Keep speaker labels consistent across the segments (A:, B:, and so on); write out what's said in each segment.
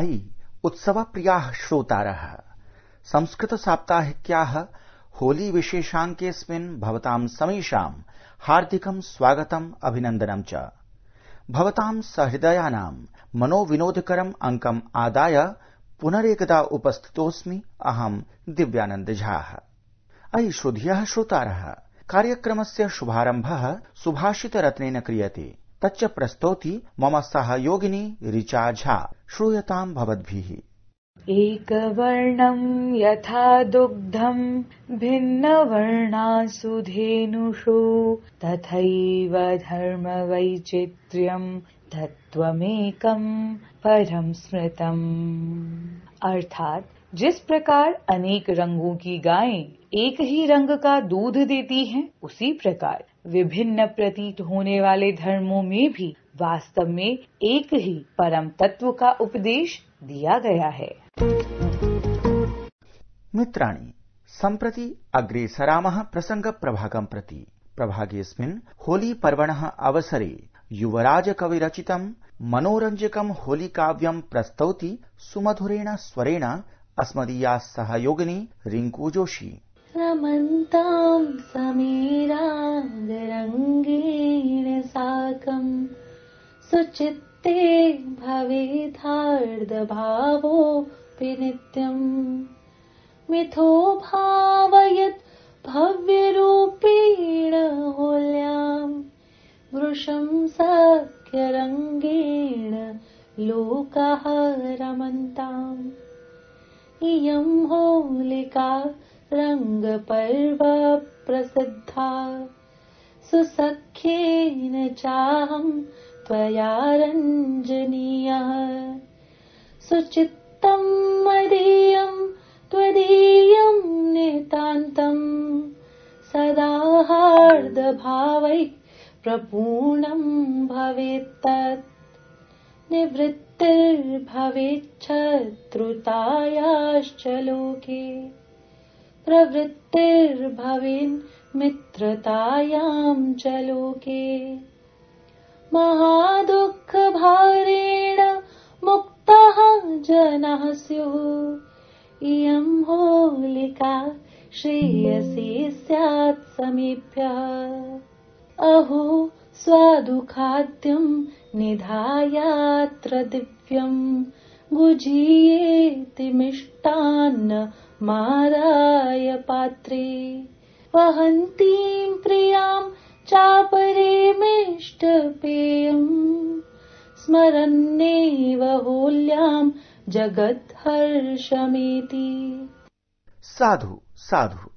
A: अयि उत्सवप्रियाः श्रोतारः, संस्कृतसाप्ताहिक्याः होली विशेषाङ्केऽस्मिन् भवतां समेषां हार्दिकं स्वागतम् अभिनन्दनं च। भवतां सहृदयानां मनोविनोदकरम् अङ्कम् आदाय पुनरेकदा उपस्थितोऽस्मि अहं दिव्यानन्द झाः। अयि श्रोधियः श्रोतारः, कार्यक्रमस्य शुभारम्भः सुभाषितरत्नेन क्रियते, तच्च प्रस्तौति मम सहयोगिनी ऋचा झा। श्रूयतां भवद्भिः।
B: एकवर्णं यथा दुग्धं भिन्नवर्णासु धेनुषु, तथैव धर्मवैचित्र्यं तत्त्वमेकं परं स्मृतम्। अर्थात जिस प्रकार अनेक रंगों की गायें एक ही रंग का दूध देती हैं, उसी प्रकार विभिन्न प्रतीत होने वाले धर्मों में भी वास्तव में एक ही परम तत्व का उपदेश दिया गया है।
A: मित्राणि, सम्प्रति अग्रेसरामः प्रसङ्गप्रभागं प्रति। प्रभागेऽस्मिन् होली पर्वणः अवसरे युवराजकविरचितं मनोरञ्जकं होलीकाव्यं प्रस्तौति सुमधुरेण स्वरेण अस्मदीया सहयोगिनी रिङ्कू जोशी।
C: रमन्तां समीरागरङ्गेण साकं सुचित्ते भवेदार्द्रभावोऽपि नित्यम्। मिथो भावयत् भव्यरूपेण होल्यां वृषं सख्यरङ्गेण लोकाः रमन्ताम्। इयं होलिका रङ्गपर्व प्रसिद्धा, सुसख्येन चाहं त्वया रञ्जनीयः। सुचित्तं मदीयं त्वदीयं नितान्तं, सदा हार्दभावैः प्रपूर्णं भवेत्तत्। निवृत्तिर्भवेच्छत्रुतायाश्च लोके, प्रवृत्तिर्भवेन् मित्रतायां च लोके। महादुःखभारेण मुक्ताः जनाः स्युः, इयं होलिका श्रेयसे स्यात् समेभ्यः। अहो स्वादुखाद्यं निधायात्र दिव्यं, गुजीयेति मिष्टान्न मादाय पात्रे। वहन्तीं प्रियां चापरेमिष्टपेयम्, स्मरन्नेव होल्यां जगद्हर्षमेति।
A: साधु साधु।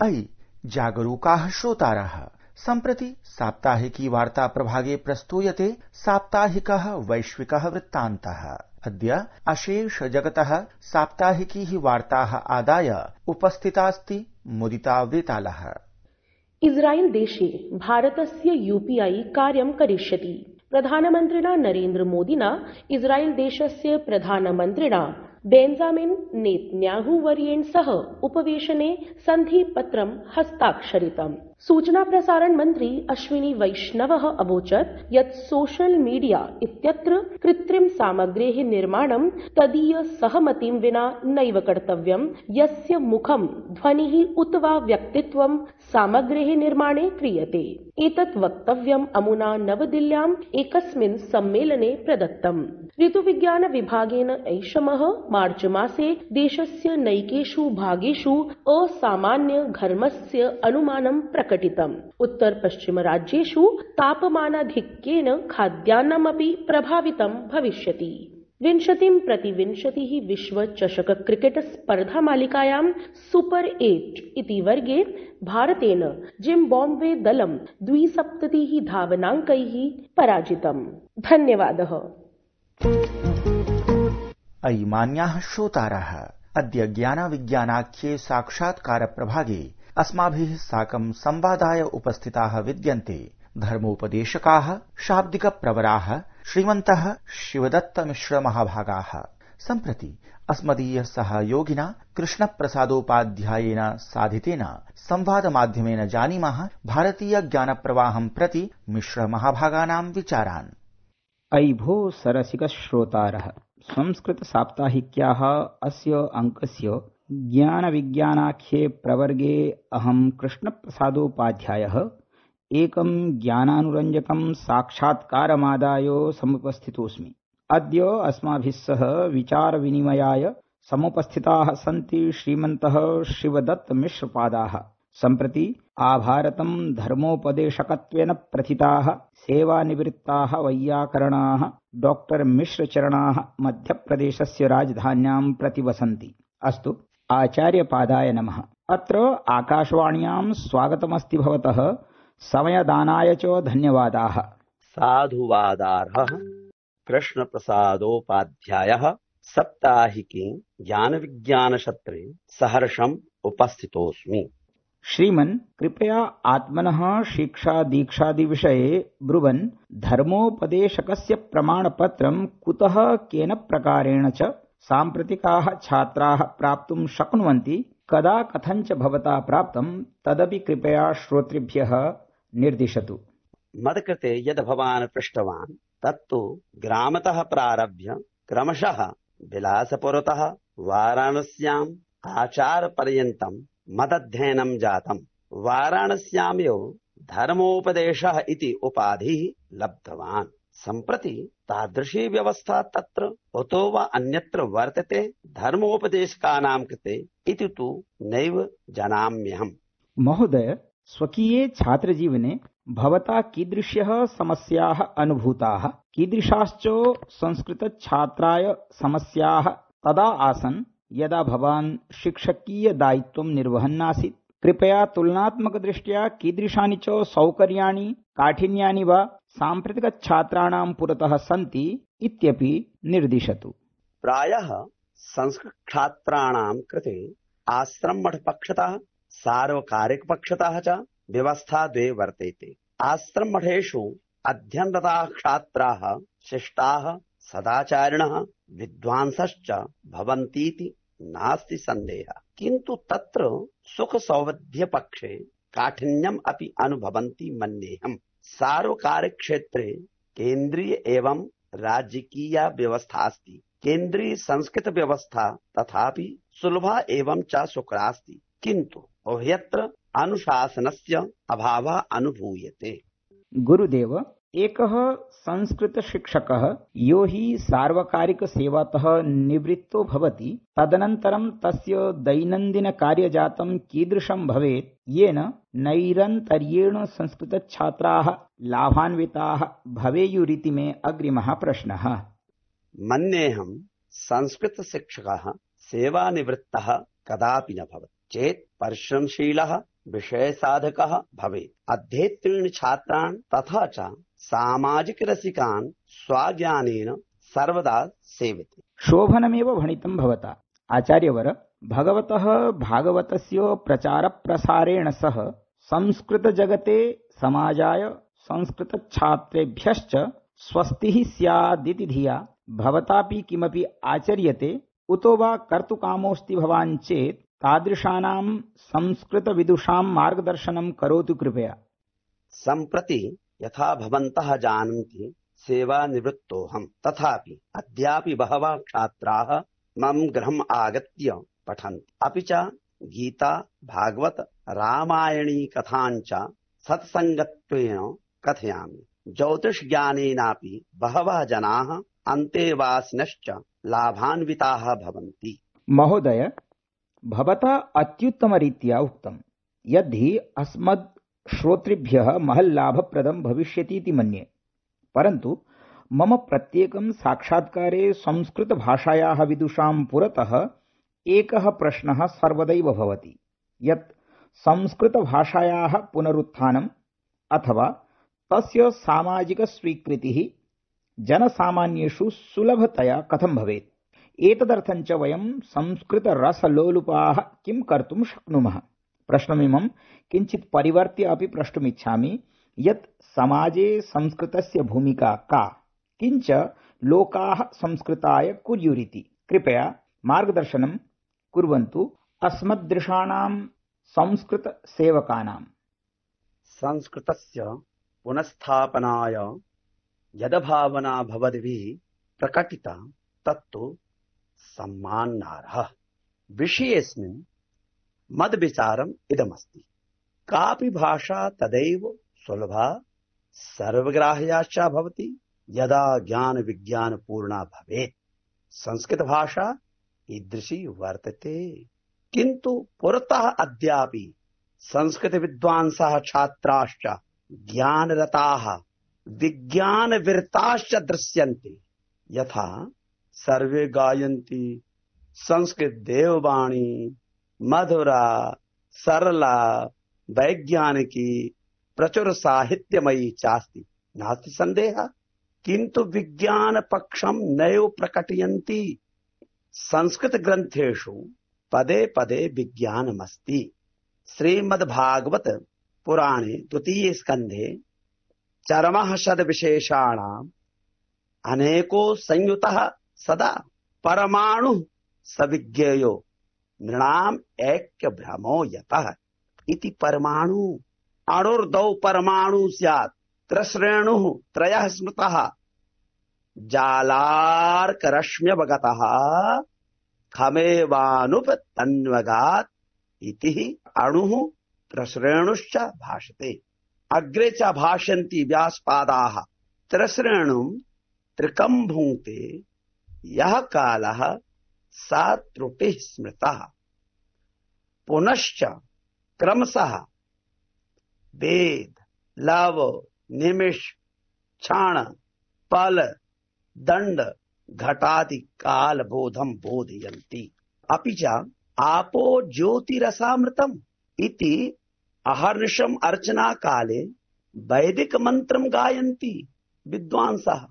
A: अयि जागरूकाः श्रोतारः, सम्प्रति साप्ताहिकी वार्ता प्रभागे प्रस्तूयते साप्ताहिकः वैश्विकः वृत्तान्तः। अद्य अशेष जगतः साप्ताहिकी वार्ताः आदाय उपस्थितास्ति मुदिता वेतालः।
D: इस्राएल देशे भारतस्य यूपीआई कार्यं करिष्यति। प्रधानमन्त्रिणा नरेन्द्र मोदिना इस्राएल देशस्य प्रधानमन्त्रिणा बेंजामिन नेतन्याहू वर्येण सह उपवेशने सन्धिपत्रं हस्ताक्षरितम्। सूचना प्रसारण मन्त्री अश्विनी वैष्णवः अवोचत् यत् सोशल मीडिया इत्यत्र कृत्रिम सामग्रेः निर्माणं तदीय सहमतिं विना नैव कर्तव्यं, यस्य मुखं ध्वनिः उत वा व्यक्तित्वं सामग्रेः निर्माणे क्रियते। एतत् वक्तव्यम् अमुना नवदिल्ल्याम् एकस्मिन् सम्मेलने प्रदत्तम्। ऋतुविज्ञान विभागेन ऐषमः मार्च मासे देशस्य नैकेषु भागेषु असामान्य घर्मस्य अनुमानं प्रकटितम्। उत्तर पश्चिम राज्येषु तापमानाधिक्येन खाद्यान्नमपि प्रभावितं भविष्यति। 20-20 विश्व चषक क्रिकेट स्पर्धा मालिकायां सुपर 8 इति वर्गे भारतेन जिम्बाब्वे दलं 72 धावनाङ्कैः पराजितम्। धन्यवादः।
A: अयि मान्याः श्रोतारः, अद्य ज्ञानविज्ञानाख्ये साक्षात्कार प्रभागे अस्माभिः साकं संवादाय उपस्थिताः विद्यन्ते धर्मोपदेशकाः शाब्दिकप्रवराः श्रीमन्तः शिवदत्तमिश्र महाभागाः। सम्प्रति अस्मदीय सहयोगिना कृष्णप्रसादोपाध्यायेन साधितेन संवादमाध्यमेन जानीमः भारतीय ज्ञानप्रवाहं प्रति मिश्र महाभागानां विचारान्।
E: अयि भो सरसिकश्रोतारः, संस्कृतसाप्ताहिक्याः अस्य अङ्कस्य ज्ञानविज्ञानाख्ये प्रवर्गे अहं कृष्णप्रसादोपाध्यायः एकं ज्ञानानुरञ्जकं साक्षात्कारमादाय समुपस्थितोऽस्मि। अद्य अस्माभिः सह विचारविनिमयाय समुपस्थिताः सन्ति श्रीमन्तः शिवदत्तमिश्रपादाः। सम्प्रति आभारतं धर्मोपदेशकत्वेन प्रथिताः सेवानिवृत्ताः वैयाकरणाः डॉक्टर मिश्रचरणाः मध्यप्रदेशस्य राजधान्यां प्रतिवसन्ति। अस्तु, आचार्यपादाय नमः। अत्र आकाशवाण्यां स्वागतमस्ति भवतः। समयदानाय च धन्यवादाः।
F: साधुवादार्हः कृष्णप्रसादोपाध्यायः साप्ताहिके ज्ञानविज्ञानसत्रे सहर्षम् उपस्थितोऽस्मि।
E: श्रीमन्, कृपया आत्मनः शिक्षा दीक्षादि विषये ब्रुवन् धर्मोपदेशकस्य प्रमाणपत्रं कुतः केन प्रकारेण च साम्प्रतिकाः छात्राः प्राप्तुं शक्नुवन्ति, कदा कथञ्च भवता प्राप्तं, तदपि कृपया श्रोतृभ्यः निर्दिशतु।
F: मत्कृते यद् भवान् पृष्टवान् तत्तु ग्रामतः प्रारभ्य क्रमशः विलासपुरतः वाराणस्याम् आचारपर्यन्तं मदध्ययनं जातम्। वाराणस्यामेव धर्मोपदेशः इति उपाधिः लब्धवान्। सम्प्रति तादृशी व्यवस्था तत्र उतो वा अन्यत्र वर्तते धर्मोपदेशकानां कृते इति तु नैव जानाम्यहम्।
E: महोदय, स्वकीये छात्रजीवने भवता कीदृश्यः समस्याः अनुभूताः, कीदृशाश्च संस्कृतछात्राय समस्याः तदा आसन् यदा भवान् शिक्षकीयदायित्वं निर्वहन्नासीत्? कृपया तुलनात्मकदृष्ट्या कीदृशानि च सौकर्याणि काठिन्यानि वा साम्प्रतिकछात्राणां पुरतः सन्ति इत्यपि निर्दिशतु।
F: प्रायः संस्कृतछात्राणां कृते आश्रममठपक्षतः सार्वकारिकपक्षतः च व्यवस्था द्वे वर्तेते। आश्रममठेषु अध्ययनरताः छात्राः शिष्टाः सदाचारिणः विद्वांसश्च भवन्तीति नास्ति सन्देहः, किन्तु तत्र सुखसौविध्यपक्षे काठिन्यम् अपि अनुभवन्ति मन्येऽहम्। सार्वकारिक क्षेत्रे केन्द्रीय एवं राज्यकीया व्यवस्था अस्ति। केन्द्रीय संस्कृत व्यवस्था तथापि सुलभा एवं च सुकरास्ति, किन्तु उभयत्र अनुशासनस्य अभावः अनुभूयते।
E: गुरुदेव, एकः संस्कृतशिक्षकः यो हि सार्वकारिकसेवातः निवृत्तो भवति, तदनन्तरं तस्य दैनन्दिनकार्यजातं कीदृशं भवेत् येन नैरन्तर्येण संस्कृतछात्राः लाभान्विताः भवेयुरिति मे अग्रिमः प्रश्नः।
F: मन्येऽहं संस्कृतशिक्षकः सेवानिवृत्तः कदापि न भवति चेत् परिश्रमशीलः विषयसाधकः भवेत्। अध्येतॄन् छात्रान् तथा च सामाजिकरसिकान् स्वज्ञानेन सर्वदा सेवते।
E: शोभनमेव भणितं भवता। आचार्यवर, भगवतः भागवतस्य प्रचारप्रसारेण सह संस्कृतजगते समाजाय संस्कृतछात्रेभ्यश्च स्वस्तिः स्यादिति धिया भवतापि किमपि आचर्यते उतो वा कर्तुकामोऽस्ति भवान् चेत् तादृशानां संस्कृतविदुषां मार्गदर्शनं करोतु कृपया।
F: सम्प्रति यथा भवन्तः जानन्ति सेवानिवृत्तोऽहम्, तथापि अद्यापि बहवः छात्राः मम गृहम् आगत्य पठन्ति। अपि च गीता भागवत रामायणी कथान् च सत्सङ्गत्वेन कथयामि। ज्योतिषज्ञानेनापि बहवः जनाः अन्तेवासिनश्च लाभान्विताः भवन्ति।
E: महोदय, भवता अत्युत्तमरीत्या उक्तं यद्धि अस्मद् श्रोतृभ्यः महल्लाभप्रदं भविष्यतीति मन्ये, परन्तु मम प्रत्येकं साक्षात्कारे संस्कृतभाषायाः विदुषां पुरतः एकः प्रश्नः सर्वदैव भवति यत् संस्कृतभाषायाः पुनरुत्थानम् अथवा तस्य सामाजिकस्वीकृतिः जनसामान्येषु सुलभतया कथं भवेत्। एतदर्थं च वयं संस्कृतरसलोलुपाः किं कर्तुं शक्नुमः। प्रश्नमिमं किञ्चित् परिवर्त्य अपि प्रष्टुमिच्छामि यत् समाजे संस्कृतस्य भूमिका का, किञ्च लोकाः संस्कृताय कुर्युरिति। कृपया मार्गदर्शनं कुर्वन्तु अस्मदृशानां संस्कृतसेवकानां।
F: संस्कृतस्य पुनस्थापनाय यद्भावना भवद्भिः प्रकटिता तत्तु सम्मानार्हः। विषयेऽस्मिन् मद्विचारम् इदमस्ति। कापि भाषा तदैव सुलभा सर्वग्राह्या च भवति यदा ज्ञान विज्ञान पूर्णा भवेत्। संस्कृत भाषा ईदृशी वर्तते, किन्तु पुरतः अद्यापि संस्कृत विद्वांसः छात्राश्च ज्ञानरताः विज्ञानविरताश्च दृश्यन्ते। यथा सर्वे गायन्ति संस्कृत देववाणी मधुरा सरला वैज्ञानिकी प्रचुर साहित्यमयी चास्ति नास्ति संदेहः, किन्तु विज्ञान पक्षं नैव प्रकटयन्ति। संस्कृत ग्रन्थेषु पदे पदे विज्ञानमस्ति। श्रीमद्भागवत पुराणे 2 स्कन्धे चरमः शतविशेषाणाम् अनेको संयुतः सदा परमाणु सविज्ञेयो नृणाम् ऐक्य भ्रमो यतः इति। परमाणु अणुर्दौ परमाणु स्यात् त्रश्रेणुः त्रयः स्मृतः जालार्करश्म्यवगतः खमेवानुपतन्वगात् इति। अणुः त्रश्रेणुश्च भाषते। अग्रे च भाषन्ति व्यासपादाः त्रश्रेणुं त्रिकं भुङ्क्ते यः कालः सा त्रुटिः स्मृतः। पुनश्च क्रमशः वेद लव निमिष क्षण पल दंड घटादि काल बोधम बोधयन्ति। अपि च आपो ज्योतिरसामृतम् इति अहर्निशम् अर्चना काले वैदिक मंत्रं गायन्ति विद्वांसः।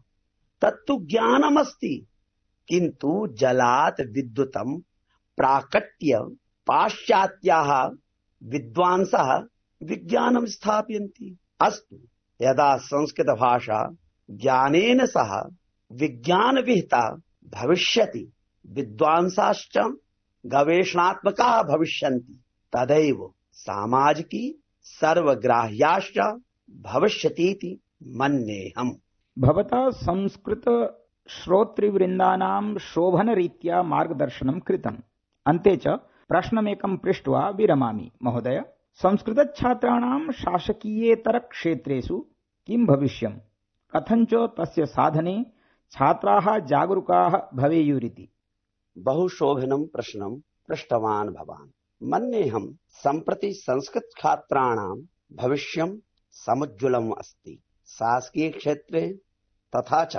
F: तत्तु ज्ञानमस्ति, किन्तु जलात् विद्युतं प्राकट्य पाश्चात्याः विद्वांसः विज्ञानं स्थापयन्ति। अस्तु, यदा संस्कृत भाषा ज्ञानेन सह विज्ञान विहिता भविष्यति, विद्वांसाश्च गवेषणात्मकाः भविष्यन्ति, तदैव सामाजिकी सर्वग्राह्याश्च भविष्यतीति मन्येऽहम्।
E: भवता संस्कृत श्रोतृवृन्दानां शोभनरीत्या मार्गदर्शनं कृतम्। अन्ते च प्रश्नमेकं पृष्ट्वा विरमामि। महोदय, संस्कृतछात्राणां शासकीयेतरक्षेत्रेषु किं भविष्यम्? कथञ्च तस्य साधने छात्राः जागरूकाः भवेयुरिति।
F: बहुशोभनं प्रश्नं पृष्टवान् भवान्। मन्येऽहं सम्प्रति संस्कृत छात्राणां भविष्यं समुज्ज्वलम् अस्ति। शासकीय क्षेत्रे तथा च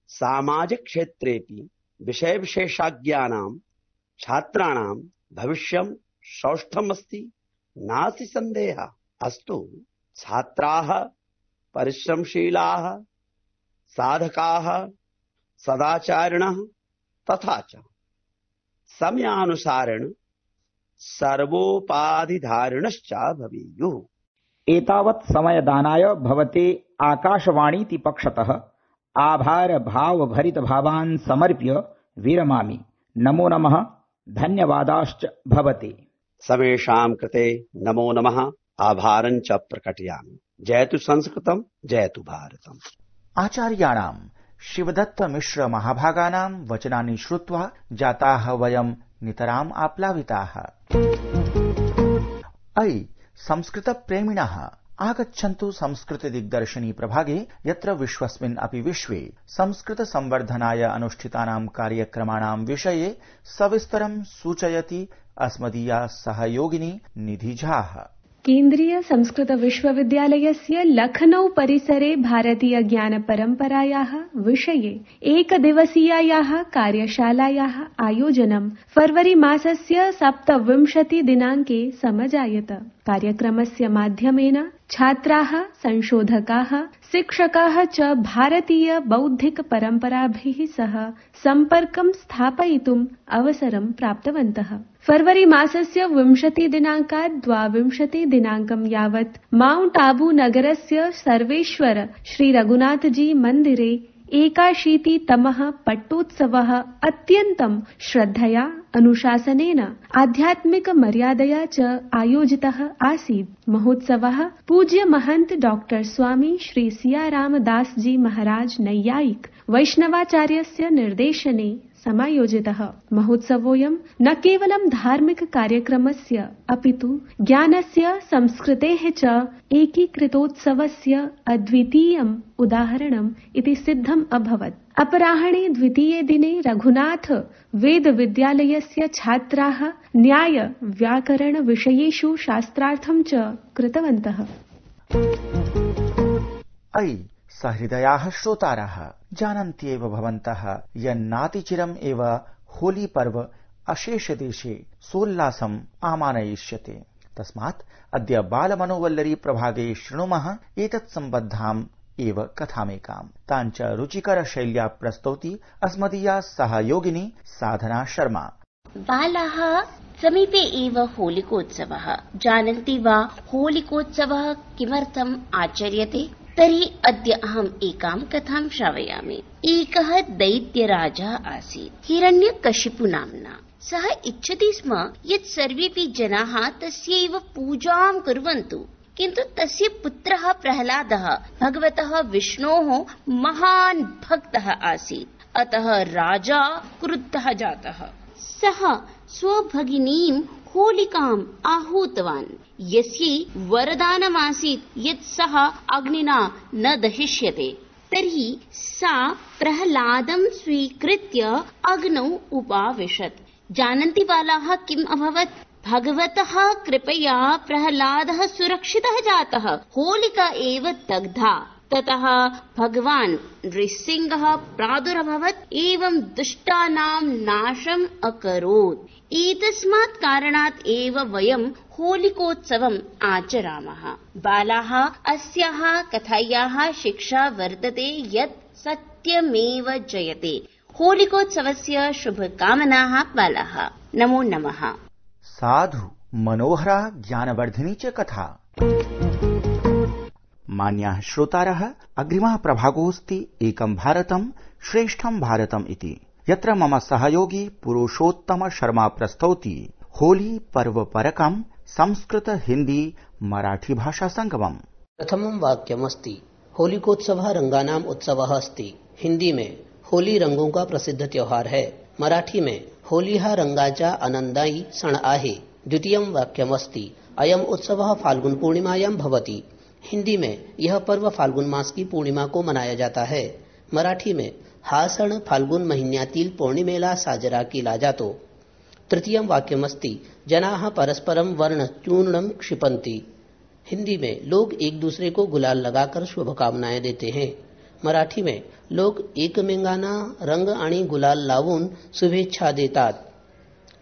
F: सामाजिक क्षेत्रेपि विषय विशेषज्ञानां छात्राणां भविष्यं सौष्ठवम् अस्ति, नास्ति संदेहः। अस्तु, छात्राः परिश्रमशीलाः साधकाः सदाचारिणः तथा च समयानुसारेण सर्वोपाधिधारिणश्च भवेयुः।
E: एतावत् समयदानाय भवते आकाशवाणीति पक्षतः आभार भाव भरित भावान् समर्प्य विरमामि। नमो नमः, धन्यवादाश्च भवते।
F: सर्वेषां कृते नमो नमः, आभारं च प्रकटयामि। जयतु संस्कृतं, जयतु भारतम्।
A: आचार्याणां शिवदत्त मिश्र महाभागानां वचनानि श्रुत्वा जाताः वयं नितराम् आप्लाविताः। अयि संस्कृत प्रेमिणः, आगच्छन्तु संस्कृत दिग्दर्शिनी प्रभागे, यत्र विश्वस्मिन् अपि विश्वे संस्कृत संवर्धनाय अनुष्ठितानां कार्यक्रमाणां विषये सविस्तरं सूचयति अस्मदीया सहयोगिनी निधि झा।
G: केन्द्रीय संस्कृत विश्वविद्यालयस्य लखनऊ परिसरे भारतीय ज्ञान परम्परायाः विषये एकदिवसीयायाः कार्यशालायाः आयोजनं फरवरी मासस्य 27 दिनाङ्के समजायत। कार्यक्रमस्य माध्यमेन छात्राः, संशोधकाः, शिक्षकाः च भारतीय बौद्धिक परम्पराभिः सह सम्पर्कं स्थापयितुम् अवसरं प्राप्तवन्तः। फरवरी मासस्य 20 दिनाङ्कात् 22 दिनाङ्कं यावत् माउंट आबू नगरस्य सर्वेश्वर श्री रघुनाथजी मन्दिरे 81तमः पट्टोत्सवः अत्यन्तं श्रद्धया अनुशासनेन आध्यात्मिक मर्यादया च आयोजितः आसीत्। महोत्सवः पूज्य महंत डॉक्टर स्वामी श्री सियारामदास जी महाराज नैयायिक वैष्णवाचार्यस्य निर्देशने समायोजितः। महोत्सवोऽयं न केवलं धार्मिक कार्यक्रमस्य अपितु ज्ञानस्य संस्कृतेः च एकीकृतोत्सवस्य अद्वितीयम् उदाहरणम् इति सिद्धम् अभवत्। अपराह्णे द्वितीये दिने रघुनाथ वेद विद्यालयस्य छात्राः न्याय व्याकरण विषयेषु शास्त्रार्थं च कृतवन्तः।
A: अयि सहृदयाः श्रोतारः, जानन्त्येव भवन्तः यन्नातिचिरम् एव होली पर्व अशेषदेशे सोल्लासम् आमानयिष्यते। तस्मात् अद्य बालमनोवल्लरी प्रभागे शृणुमः एतत् सम्बद्धाम् एव कथामेकाम्। ताञ्च रुचिकर शैल्या प्रस्तौति अस्मदीया सहयोगिनी साधना शर्मा।
H: बालाः, समीपे एव होलिकोत्सवः। जानन्ति वा होलिकोत्सवः किमर्थम् आचर्यते? तर्हि अद्य अहम् एकां कथां श्रावयामि। एकः दैत्यराजा आसीत्, हिरण्यकशिपु नाम्ना। सः इच्छति स्म यत् सर्वेऽपि जनाः तस्यैव पूजां कुर्वन्तु, किन्तु तस्य पुत्रः प्रह्लादः भगवतः विष्णोः महान् भक्तः आसीत्। अतः राजा क्रुद्धः जातः। सः स्वभगिनीं होलिकाम् आहूतवान्, यस्यै वरदानमासीत् यत् सः अग्निना न दहिष्यते। तर्हि सा प्रह्लादं स्वीकृत्य अग्नौ उपाविशत्। जानन्ति बालाः किम् अभवत्? भगवतः कृपया प्रह्लादः सुरक्षितः जातः, होलिका एव दग्धा। ततः भगवान् नृसिंहः प्रादुर्भवत् एवं दुष्टानां नाशम् अकरोत्। एतस्मात् कारणात् एव वयं होलिकोत्सवम् आचरामः। बालाः, अस्याः कथायाः शिक्षा वर्तते यत् सत्यमेव जयते। होलिकोत्सवस्य शुभकामनाः बालाः। नमो नमः।
A: साधु, मनोहरा, ज्ञानवर्धिनी च कथा। मान्याः श्रोतारः, अग्रिमः प्रभागोऽस्ति एकं भारतं श्रेष्ठं भारतम् इति, यत्र मम सहयोगी पुरुषोत्तम शर्मा प्रस्तौति होली पर्व परकं संस्कृत हिंदी मराठी भाषा संगमम्।
I: प्रथमं वाक्यमस्ति होलिकोत्सवः रंगानाम उत्सवः अस्ति। हिंदी में होली रंगों का प्रसिद्ध त्योहार है। मराठी में होली हा रंगाचा आनंदायी सण आहे। द्वितीयं वाक्यमस्ति अयम् उत्सवः फाल्गुन पूर्णिमायां भवति। हिंदी में यह पर्व फाल्गुन मास की पूर्णिमा को मनाया जाता है। मराठी में हा सण फाल्गुन महिन्यातील पौर्णिमेला साजरा केला जातो। तृतीयं वाक्यमस्ति जनाः परस्परं वर्ण चूर्णं क्षिपन्ति। हिंदी में लोग एक दूसरे को गुलाल लगाकर शुभकामनाएं देते हैं। मराठी में लोग एकमेकांना रंग आणि गुलाल लावून शुभेच्छा देतात।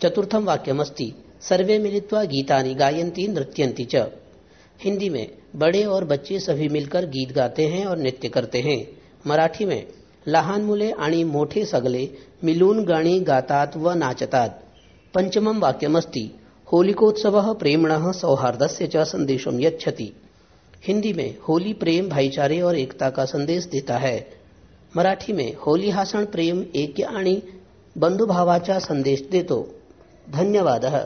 I: चतुर्थं वाक्यमस्ति सर्वे मिलित्वा गीतानि गायन्ति नृत्यन्ति च। हिंदी में बड़े और बच्चे सभी मिलकर गीत गाते हैं और नृत्य करते हैं। मराठी में लहान मुले आणि मोठे सगळे मिलून गाणी गातात व नाचतात। पंचमं वाक्यमस्ति होलिकोत्सवः प्रेम्णः सौहार्दस्य च संदेशं यच्छति। हिंदी में होली प्रेम, भाईचारे और एकता का संदेश देता है। मराठी में होली हा सण प्रेम, ऐक्य आणि बंधुभावाचा संदेश देतो। धन्यवादः।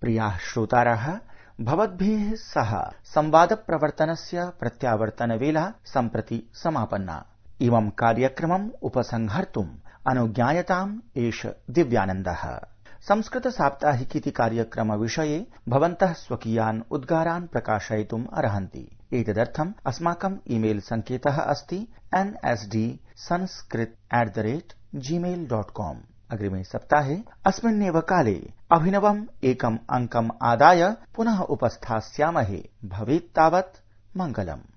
A: प्रियाः श्रोतारः, भवद्भिः सह संवादप्रवर्तनस्य प्रत्यावर्तनवेला सम्प्रति समापन्ना। इमं कार्यक्रमम् उपसंहर्तुम् अनुज्ञायताम् एष दिव्यानन्दः। संस्कृत साप्ताहिकीति कार्यक्रम विषये भवन्तः स्वकीयान् उद्गारान् प्रकाशयितुम् अर्हन्ति। एतदर्थम् अस्माकम् ईमेल सङ्केतः अस्ति nsdsanskrit@gmail.com। अग्रिमे सप्ताहे अस्मिन्नेव काले अभिनवम् एकम् अङ्कम् आदाय पुनः उपस्थास्यामहे। भवेत् तावत् मङ्गलम्।